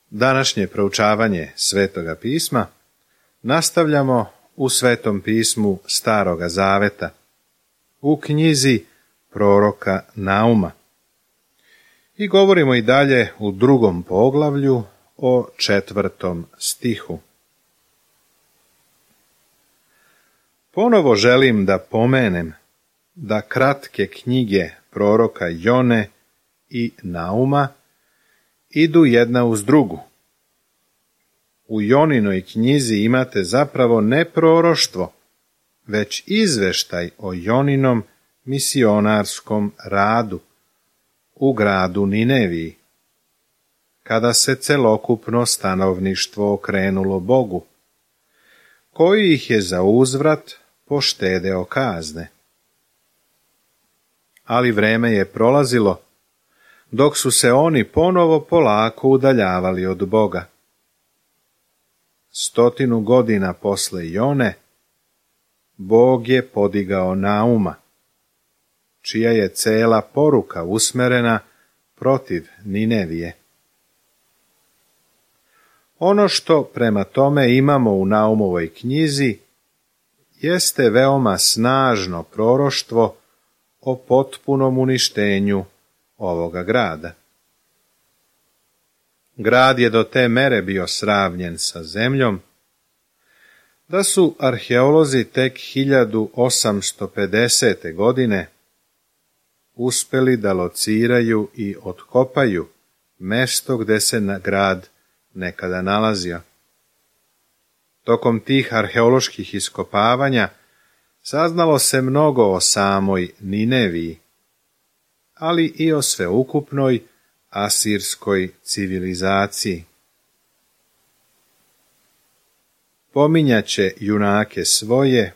Današnje proučavanje Svetoga pisma nastavljamo u Svetom pismu Staroga zaveta, u knjizi proroka Nauma. I govorimo i dalje u 2. poglavlju o 4. stihu. Ponovo želim da pomenem da kratke knjige proroka Jone i Nauma idu jedna uz drugu. U Joninoj knjizi imate zapravo ne proroštvo, već izveštaj o Joninom misionarskom radu u gradu Nineviji, kada se celokupno stanovništvo okrenulo Bogu, koji ih je za uzvrat poštedeo kazne. Ali vreme je prolazilo, dok su se oni ponovo polako udaljavali od Boga. 100 godina posle Jone, Bog je podigao Nauma, čija je cela poruka usmerena protiv Ninevije. Ono što prema tome imamo u Naumovoj knjizi jeste veoma snažno proroštvo o potpunom uništenju ovoga grada. Grad je do te mere bio sravnjen sa zemljom, da su arheolozi tek 1850. godine uspeli da lociraju i otkopaju mesto gde se grad nekada nalazio. Tokom tih arheoloških iskopavanja saznalo se mnogo o samoj Nineviji, ali i o sveukupnoj asirskoj civilizaciji. Pominjaće junake svoje,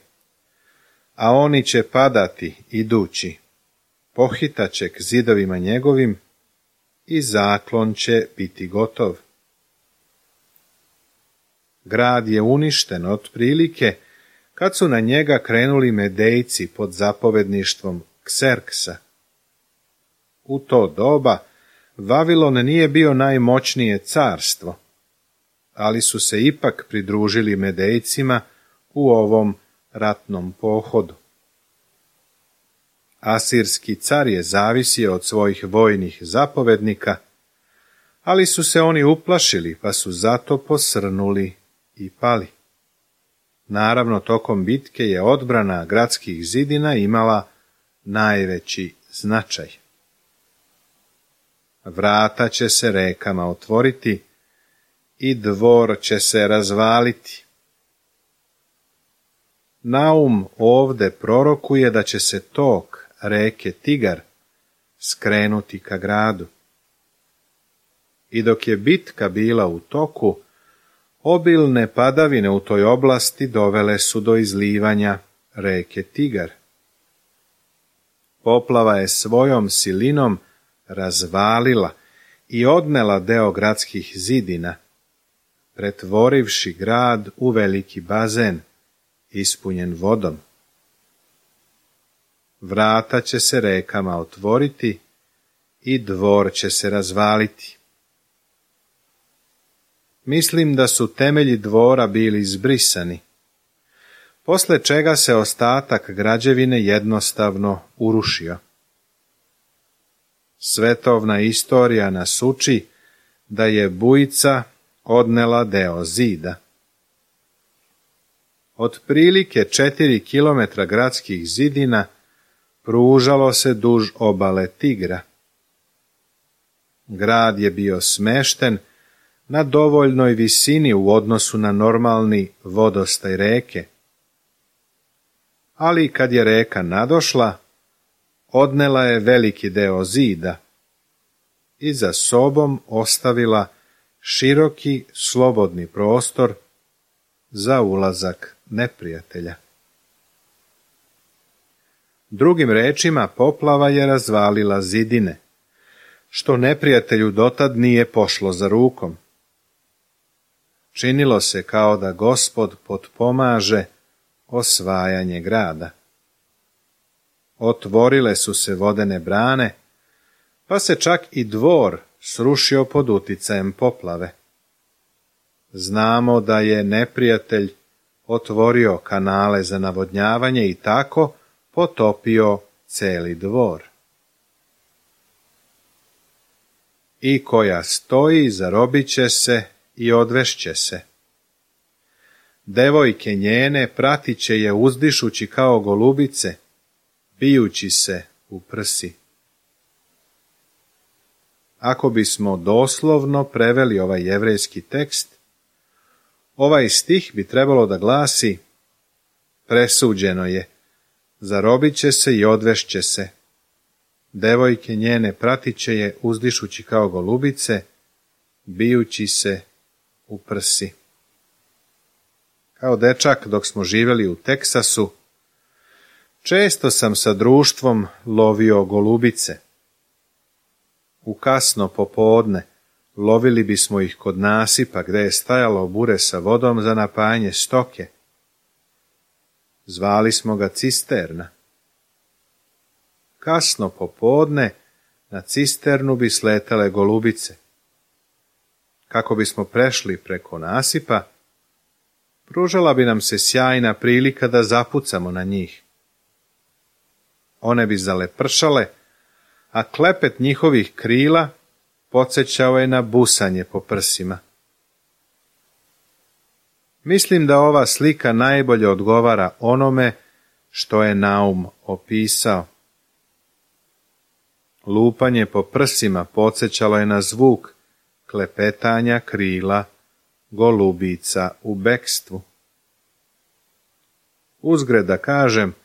a oni će padati idući, pohitaće k zidovima njegovim i zaklon će biti gotov. Grad je uništen otprilike kad su na njega krenuli Medejci pod zapovedništvom Kserksa. U to doba Vavilon nije bio najmoćnije carstvo, ali su se ipak pridružili Medejcima u ovom ratnom pohodu. Asirski car je zavisio od svojih vojnih zapovednika, ali su se oni uplašili pa su zato posrnuli i pali. Naravno, tokom bitke je odbrana gradskih zidina imala najveći značaj. Vrata će se rekama otvoriti i dvor će se razvaliti. Naum ovde prorokuje da će se tok reke Tigar skrenuti ka gradu. I dok je bitka bila u toku, obilne padavine u toj oblasti dovele su do izlivanja reke Tigar. Poplava je svojom silinom razvalila i odnela deo gradskih zidina, pretvorivši grad u veliki bazen, ispunjen vodom. Vrata će se rekama otvoriti i dvor će se razvaliti. Mislim da su temelji dvora bili izbrisani, posle čega se ostatak građevine jednostavno urušio. Svetovna istorija nas uči da je bujica odnela deo zida. Otprilike 4 kilometra gradskih zidina pružalo se duž obale Tigra. Grad je bio smešten na dovoljnoj visini u odnosu na normalni vodostaj reke. Ali kad je reka nadošla, odnela je veliki deo zida i za sobom ostavila široki slobodni prostor za ulazak neprijatelja. Drugim rečima, poplava je razvalila zidine, što neprijatelju dotad nije pošlo za rukom. Činilo se kao da Gospod potpomaže osvajanje grada. Otvorile su se vodene brane, pa se čak i dvor srušio pod uticajem poplave. Znamo da je neprijatelj otvorio kanale za navodnjavanje i tako potopio celi dvor. I koja stoji, zarobit će se i odvešće se. Devojke njene pratit će je uzdišući kao golubice, bijući se u prsi. Ako bismo doslovno preveli ovaj jevrejski tekst, ovaj stih bi trebalo da glasi: presuđeno je, zarobit će se i odvešće se. Devojke njene pratit će je uzdišući kao golubice, bijući se u prsi. Kao dečak, dok smo živjeli u Teksasu, često sam sa društvom lovio golubice. U kasno popodne lovili bismo ih kod nasipa gdje je stajalo bure sa vodom za napajanje stoke. Zvali smo ga cisterna. Kasno popodne na cisternu bi sletale golubice. Kako bismo prešli preko nasipa, pružala bi nam se sjajna prilika da zapucamo na njih. One bi zalepršale, a klepet njihovih krila podsjećao je na busanje po prsima. Mislim da ova slika najbolje odgovara onome što je Naum opisao. Lupanje po prsima podsjećalo je na zvuk klepetanja krila golubica u bekstvu. Uzgred da kažem,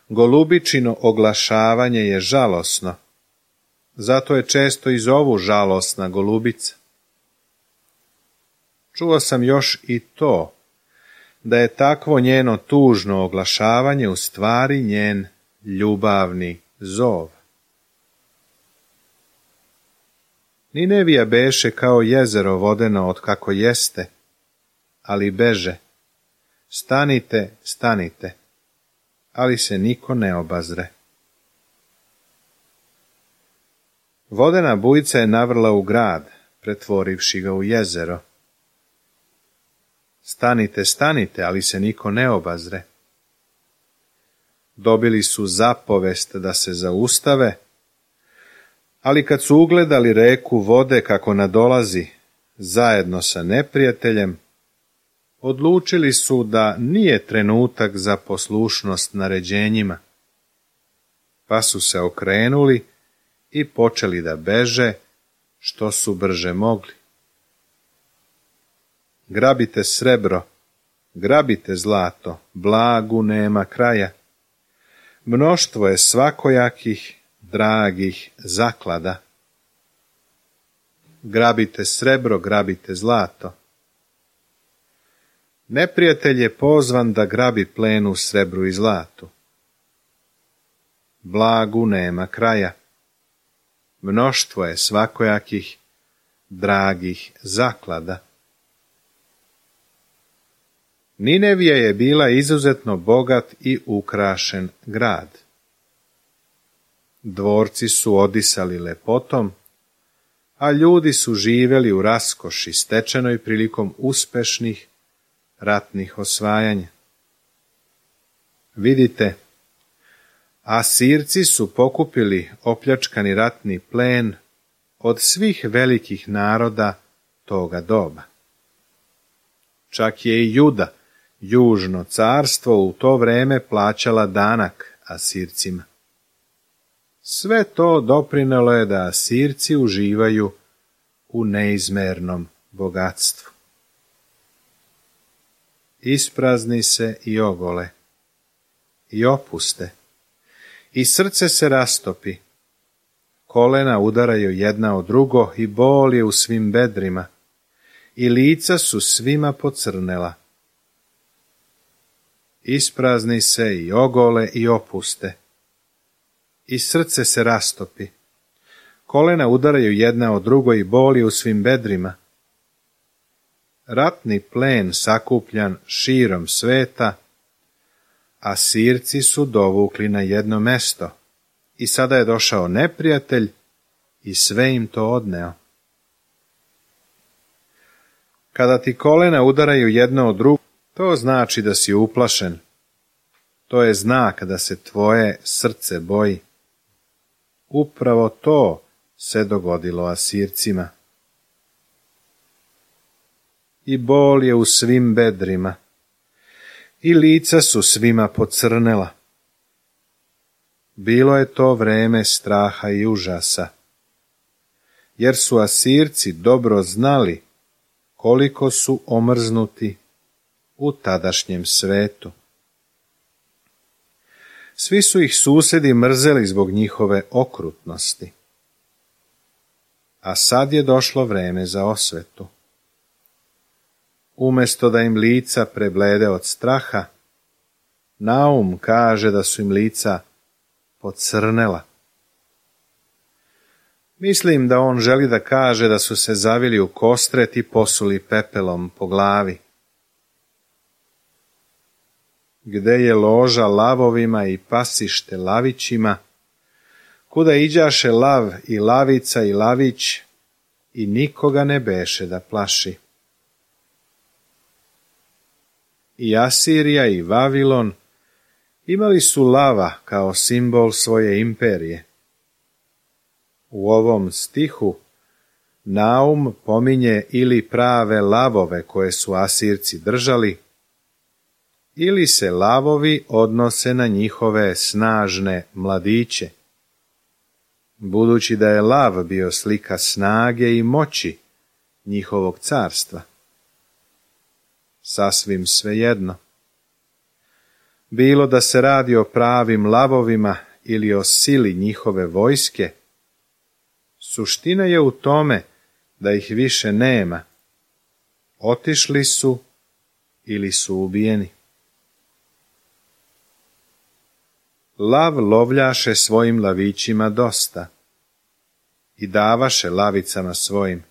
golubičino oglašavanje je žalosno, zato je često i zovu žalosna golubica. Čuo sam još i to, da je takvo njeno tužno oglašavanje u stvari njen ljubavni zov. Ninevija beše kao jezero vodeno od kako jeste, ali beže. Stanite, stanite, ali se niko ne obazre. Vodena bujica je navrla u grad, pretvorivši ga u jezero. Stanite, stanite, ali se niko ne obazre. Dobili su zapovest da se zaustave, ali kad su ugledali reku vode kako nadolazi zajedno sa neprijateljem, odlučili su da nije trenutak za poslušnost naređenjima, pa su se okrenuli i počeli da beže što su brže mogli. Grabite srebro, grabite zlato, blagu nema kraja. Mnoštvo je svakojakih, dragih zaklada. Grabite srebro, grabite zlato. Neprijatelj je pozvan da grabi plen u srebru i zlatu. Blagu nema kraja. Mnoštvo je svakojakih, dragih zaklada. Ninevija je bila izuzetno bogat i ukrašen grad. Dvorci su odisali lepotom, a ljudi su živjeli u raskoši stečenoj prilikom uspešnih ratnih osvajanja. Vidite, Asirci su pokupili opljačkani ratni plen od svih velikih naroda toga doba. Čak je i Juda, južno carstvo, u to vreme plaćala danak Asircima. Sve to doprinelo je da Asirci uživaju u neizmernom bogatstvu. Isprazni se i ogole, i opuste, i srce se rastopi, kolena udaraju jedna od drugo i bol je u svim bedrima, i lica su svima pocrnela. Isprazni se i ogole i opuste, i srce se rastopi, kolena udaraju jedna od drugo i bol je u svim bedrima. Ratni plen sakupljan širom sveta, Asirci su dovukli na jedno mesto i sada je došao neprijatelj i sve im to odneo. Kada ti kolena udaraju jedno od drugo, to znači da si uplašen. To je znak da se tvoje srce boji. Upravo to se dogodilo Asircima. I bol je u svim bedrima, i lica su svima pocrnela. Bilo je to vreme straha i užasa, jer su Asirci dobro znali koliko su omrznuti u tadašnjem svetu. Svi su ih susedi mrzeli zbog njihove okrutnosti. A sad je došlo vreme za osvetu. Umjesto da im lica preblede od straha, Naum kaže da su im lica pocrnela. Mislim da on želi da kaže da su se zavili u kostret i posuli pepelom po glavi. Gde je loža lavovima i pasište lavićima, kuda iđaše lav i lavica i lavić, i nikoga ne beše da plaši. I Asirija i Vavilon imali su lava kao simbol svoje imperije. U ovom stihu Naum pominje ili prave lavove koje su Asirci držali, ili se lavovi odnose na njihove snažne mladiće, budući da je lav bio slika snage i moći njihovog carstva. Sasvim svejedno. Bilo da se radi o pravim lavovima ili o sili njihove vojske, suština je u tome da ih više nema. Otišli su ili su ubijeni. Lav lovljaše svojim lavićima dosta i davaše lavicama svojim.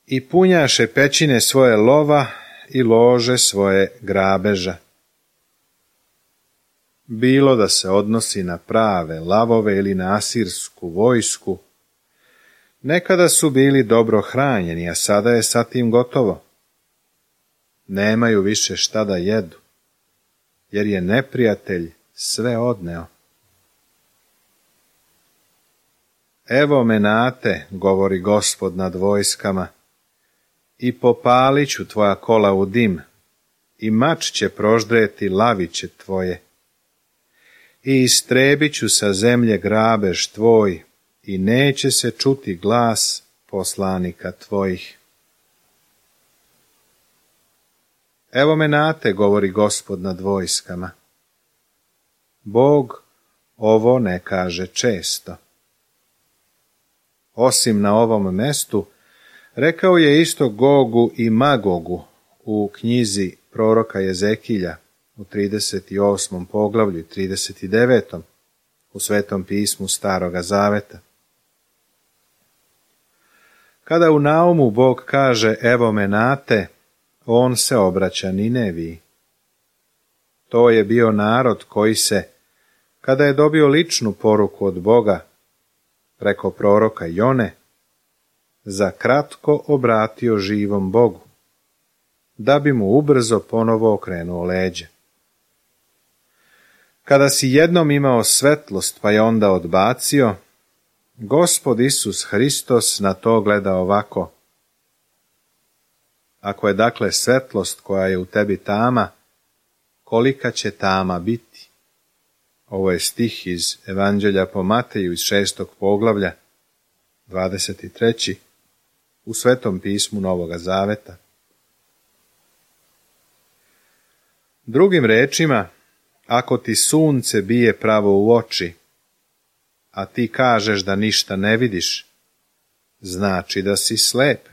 I punjaše pećine svoje lova i lože svoje grabeža. Bilo da se odnosi na prave lavove ili na asirsku vojsku, nekada su bili dobro hranjeni, a sada je sa tim gotovo. Nemaju više šta da jedu, jer je neprijatelj sve odneo. Evo menate, govori Gospod nad vojskama, i popalit ću tvoja kola u dim, i mač će proždreti laviće tvoje. I istrebit ću sa zemlje grabež tvoj, i neće se čuti glas poslanika tvojih. Evo menate, govori Gospod nad vojskama. Bog ovo ne kaže često. Osim na ovom mestu, rekao je isto Gogu i Magogu u knjizi proroka Jezekilja u 38. poglavlju i 39. u Svetom pismu Staroga Zaveta. Kada u Naumu Bog kaže evo menate, on se obraća Nineviji. To je bio narod koji se, kada je dobio ličnu poruku od Boga preko proroka Jone, za kratko obratio živom Bogu, da bi mu ubrzo ponovo okrenuo leđe. Kada si jednom imao svetlost pa je onda odbacio, Gospod Isus Hristos na to gleda ovako. Ako je dakle svetlost koja je u tebi tama, kolika će tama biti? Ovo je stih iz Evanđelja po Mateju iz 6. poglavlja, 23. u Svetom pismu Novoga Zaveta. Drugim rečima, ako ti sunce bije pravo u oči, a ti kažeš da ništa ne vidiš, znači da si slep.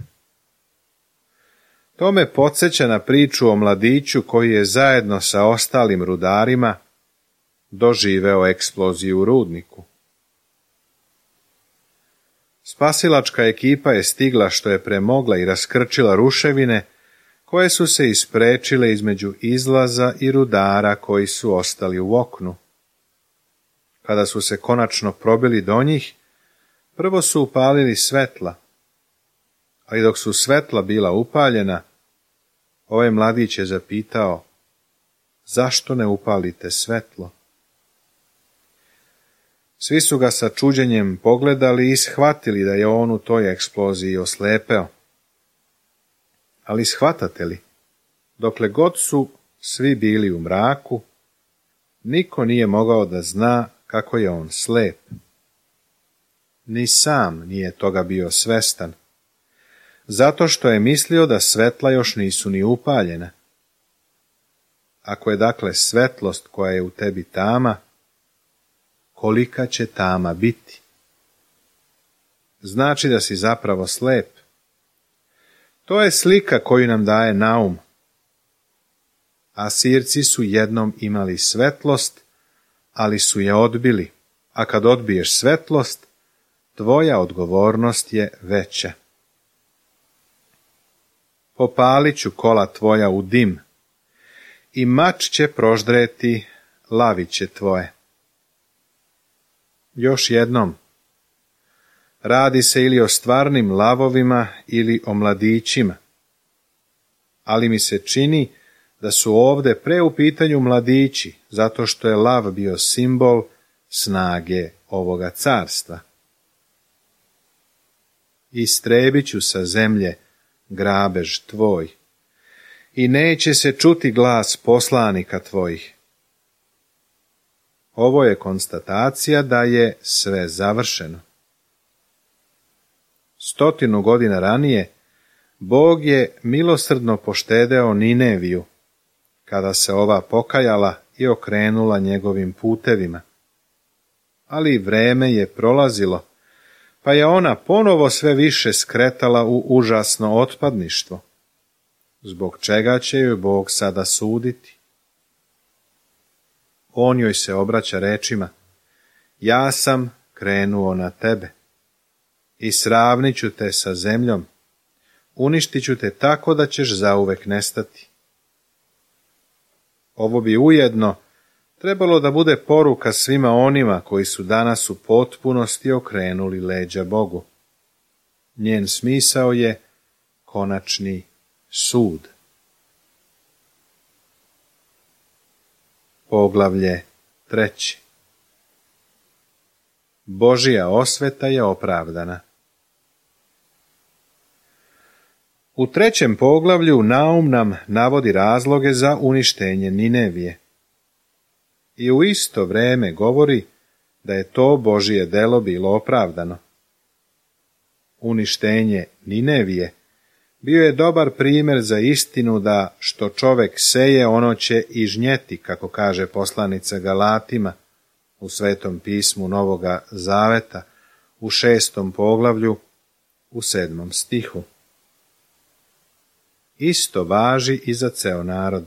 To me podsjeća na priču o mladiću koji je zajedno sa ostalim rudarima doživeo eksploziju u rudniku. Spasilačka ekipa je stigla što je premogla i raskrčila ruševine koje su se isprečile između izlaza i rudara koji su ostali u oknu. Kada su se konačno probili do njih, prvo su upalili svetla, ali dok su svetla bila upaljena, ovaj mladić je zapitao: zašto ne upalite svetlo? Svi su ga sa čuđenjem pogledali i shvatili da je on u toj eksploziji oslepeo. Ali shvatate li, dokle god su svi bili u mraku, niko nije mogao da zna kako je on slep. Ni sam nije toga bio svestan, zato što je mislio da svetla još nisu ni upaljena. Ako je dakle svetlost koja je u tebi tama, kolika će tama biti? Znači da si zapravo slep. To je slika koju nam daje Naum. Asirci su jednom imali svetlost, ali su je odbili, a kad odbiješ svetlost, tvoja odgovornost je veća. Popalit ću kola tvoja u dim, i mač će proždreti laviće tvoje. Još jednom, radi se ili o stvarnim lavovima ili o mladićima, ali mi se čini da su ovde pre u pitanju mladići, zato što je lav bio simbol snage ovoga carstva. Istrebit ću sa zemlje grabež tvoj, i neće se čuti glas poslanika tvojih. Ovo je konstatacija da je sve završeno. 100 godina ranije Bog je milosrdno poštedeo Nineviju, kada se ova pokajala i okrenula njegovim putevima. Ali vreme je prolazilo, pa je ona ponovo sve više skretala u užasno otpadništvo, zbog čega će joj Bog sada suditi. On joj se obraća rečima: ja sam krenuo na tebe i sravnit ću te sa zemljom, uništit ću te tako da ćeš zauvek nestati. Ovo bi ujedno trebalo da bude poruka svima onima koji su danas u potpunosti okrenuli leđa Bogu. Njen smisao je konačni sud. Poglavlje 3. Božja osveta je opravdana. U 3. poglavlju Naum nam navodi razloge za uništenje Ninevije. I u isto vreme govori da je to Božje delo bilo opravdano. Uništenje Ninevije bio je dobar primjer za istinu da što čovek seje, ono će i žnjeti, kako kaže poslanica Galatima u Svetom pismu Novoga Zaveta u 6. poglavlju u 7. stihu. Isto važi i za ceo narod.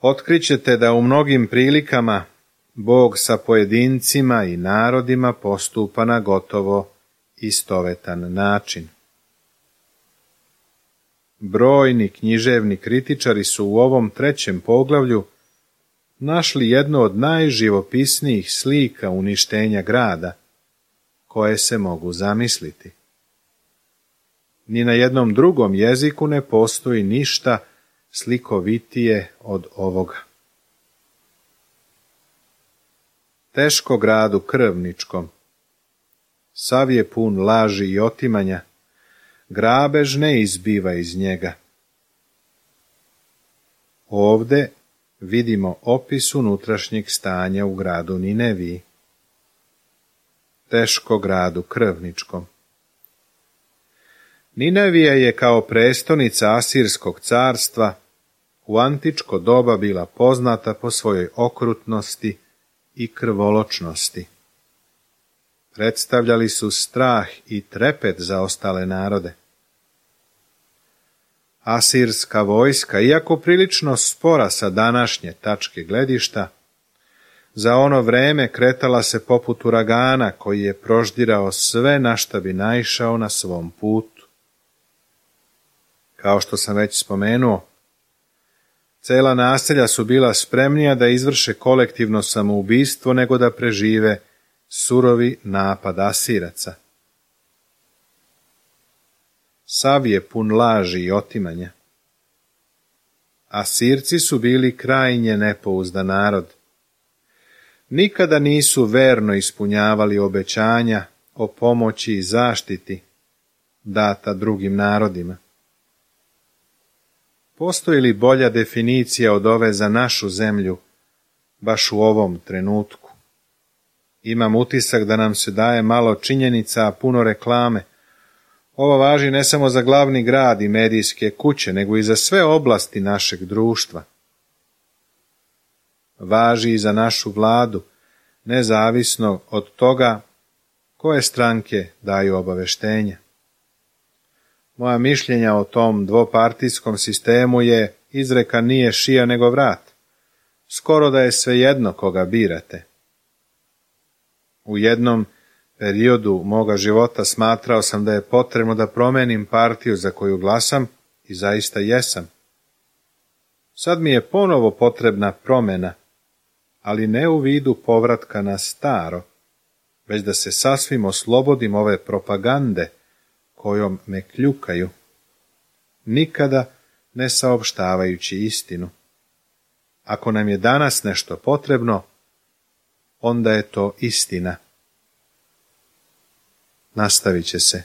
Otkrićete da u mnogim prilikama Bog sa pojedincima i narodima postupa na gotovo istovetan način. Brojni književni kritičari su u ovom 3. poglavlju našli jednu od najživopisnijih slika uništenja grada, koje se mogu zamisliti. Ni na jednom drugom jeziku ne postoji ništa slikovitije od ovoga. Teško gradu krvničkom, sav je pun laži i otimanja, grabež ne izbiva iz njega. Ovde vidimo opis unutrašnjeg stanja u gradu Nineviji. Teško gradu krvničkom. Ninevija je kao prestonica Asirskog carstva u antičko doba bila poznata po svojoj okrutnosti i krvoločnosti. Predstavljali su strah i trepet za ostale narode. Asirska vojska, iako prilično spora sa današnje tačke gledišta, za ono vreme kretala se poput uragana koji je proždirao sve na šta bi naišao na svom putu. Kao što sam već spomenuo, cela naselja su bila spremnija da izvrše kolektivno samoubistvo nego da prežive surovi napad Asiraca. sav je pun laži i otimanja. Asirci su bili krajnje nepouzdan narod. Nikada nisu verno ispunjavali obećanja o pomoći i zaštiti data drugim narodima. Postoji li bolja definicija od ove za našu zemlju, baš u ovom trenutku? Imam utisak da nam se daje malo činjenica, a puno reklame. Ovo važi ne samo za glavni grad i medijske kuće, nego i za sve oblasti našeg društva. Važi i za našu vladu, nezavisno od toga koje stranke daju obaveštenja. Moja mišljenja o tom dvopartijskom sistemu je izreka nije šija nego vrat. Skoro da je svejedno koga birate. U jednom periodu moga života smatrao sam da je potrebno da promenim partiju za koju glasam i zaista jesam. Sad mi je ponovo potrebna promjena, ali ne u vidu povratka na staro, već da se sasvim oslobodim ove propagande kojom me kljukaju, nikada ne saopštavajući istinu. Ako nam je danas nešto potrebno, onda je to istina. Nastavit će se.